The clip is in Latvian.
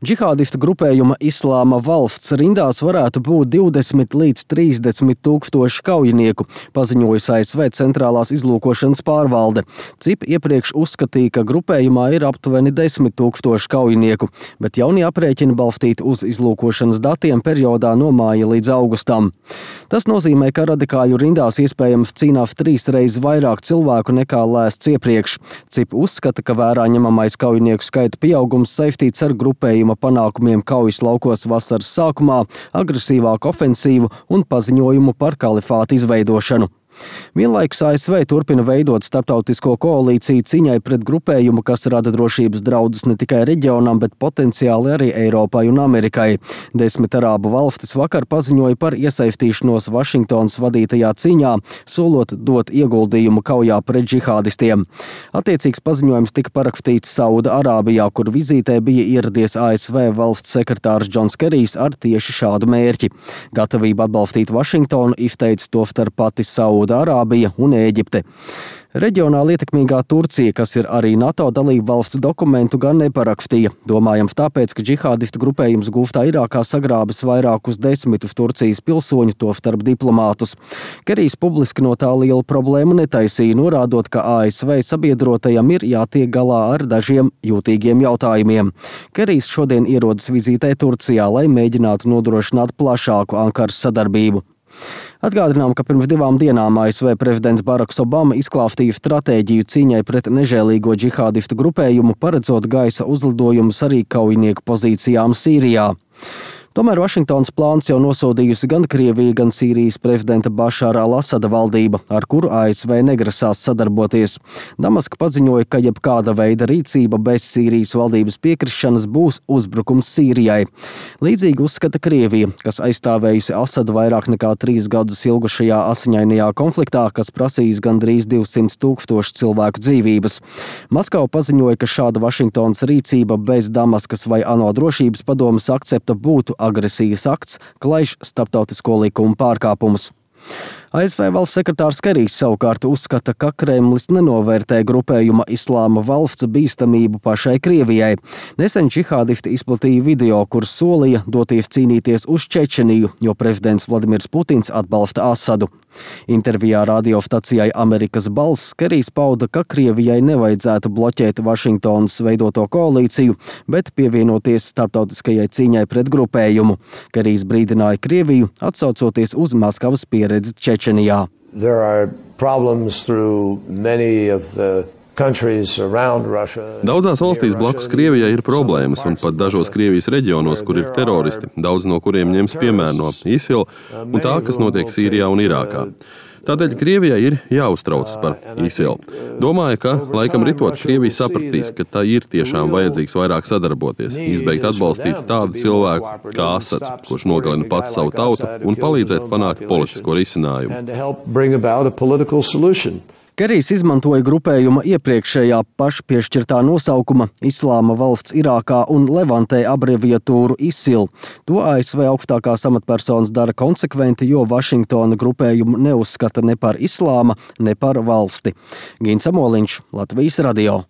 Džihādistu grupējuma Islāma valsts rindās varētu būt 20 līdz 30 tūkstoši kaujinieku, paziņojusi ASV centrālās izlūkošanas pārvalde. CIP iepriekš uzskatīja, ka grupējumā ir aptuveni 10 tūkstoši kaujinieku, bet jaunie aprēķini balstīti uz izlūkošanas datiem periodā no māja līdz augustam. Tas nozīmē, ka radikāļu rindās iespējams cīnās 3 reizes vairāk cilvēku nekā lēsts iepriekš. CIP uzskata, ka vērā ņemamais kaujinieku skaita pieaugums saistīts ar grupējuma panākumiem kaujas laukos vasaras sākumā, agresīvāku ofensīvu un paziņojumu par kalifātu izveidošanu. Vienlaikus ASV turpina veidot starptautisko koalīciju cīņai pret grupējumu, kas rada drošības draudus ne tikai reģionam, bet potenciāli arī Eiropai un Amerikai. 10 arābu valstis vakar paziņoja par iesaistīšanos Vašingtonas vadītajā cīņā, solot dot ieguldījumu kaujā pret džihādistiem. Attiecīgs paziņojums tika parakstīts Sauda Arābijā, kur vizītē bija ieradies ASV valsts sekretārs Džons Kerijs ar tieši šādu mērķi. Gatavību atbalstīt Vašingtonu izteica tostarp pati Sauda Arābija un Ēģipte. Reģionāli ietekmīgā Turcija, kas ir arī NATO dalība valsts, dokumentu gan neparakstīja. Domājams tāpēc, ka džihādistu grupējums Gulftā Irākā sagrābis vairākus desmitus Turcijas pilsoņu, tostarp diplomātus. Kerijs publiski no tā lielu problēmu netaisīja, norādot, ka ASV sabiedrotajam ir jātiek galā ar dažiem jūtīgiem jautājumiem. Kerijs šodien ierodas vizītē Turcijā, lai mēģinātu nodrošināt plašāku Ankaras sadarbību. Atgādinām, ka pirms 2 dienām ASV prezidents Baraks Obama izklāstīja stratēģiju cīņai pret nežēlīgo džihādistu grupējumu, paredzot gaisa uzlidojumus arī kaujinieku pozīcijām Sīrijā. Tomēr Vašingtonas plāns jau nosodījusi gan Krievija, gan Sīrijas prezidenta Bašāra al-Asada valdība, ar kuru ASV negrasās sadarboties. Damaska paziņoja, ka jebkāda veida rīcība bez Sīrijas valdības piekrišanas būs uzbrukums Sīrijai. Līdzīgi uzskata Krievija, kas aizstāvējusi Asadu vairāk nekā 3 gadus ilgušajā asiņainajā konfliktā, kas prasījis gandrīz 200 000 cilvēku dzīvības. Maskava paziņoja, ka šāda Vašingtonas rīcība bez Damaskas vai ANO drošības padomes akcepta būtu agresijas akts, klaiž starptautisko likumu pārkāpumus. ASV valsts sekretārs Kerijs savukārt uzskata, ka Kremlis nenovērtē grupējuma Islāma valsts bīstamību pašai Krievijai. Nesen džihādisti izplatīja video, kur solīja doties cīnīties uz Čečeniju, jo prezidents Vladimirs Putins atbalsta Asadu. Intervijā radiostacijai Amerikas balss Kerijs pauda, ka Krievijai nevajadzētu bloķēt Vašingtonas veidoto koalīciju, bet pievienoties starptautiskajai cīņai pret grupējumu. Kerijs brīdināja Krieviju, atsaucoties uz Maskavas pieredzi Čečenijā. Daudzās valstīs blakus Krievijai ir problēmas, un pat dažos Krievijas reģionos, kur ir teroristi, daudz no kuriem ņems piemēru no ISIL un tā, kas notiek Sīrijā un Irākā. Tādēļ Krievijai ir jāuztraucas par ISIL. Domāju, ka laikam ritot Krievija sapratīs, ka tā ir tiešām vajadzīgs vairāk sadarboties, izbeigt atbalstīt tādu cilvēku kā Asads, kurš nogalina pats savu tautu, un palīdzēt panākt politisko risinājumu. Kerijs izmantoja grupējuma iepriekšējā pašpiešķirtā nosaukuma Islāma valsts Irākā un Levantē abreviatūru ISIL. To ASV augstākās amatpersonas dara konsekventi, jo Vašingtona grupējumu neuzskata ne par islāma, ne par valsti. Gins Amoliņš, Latvijas radio.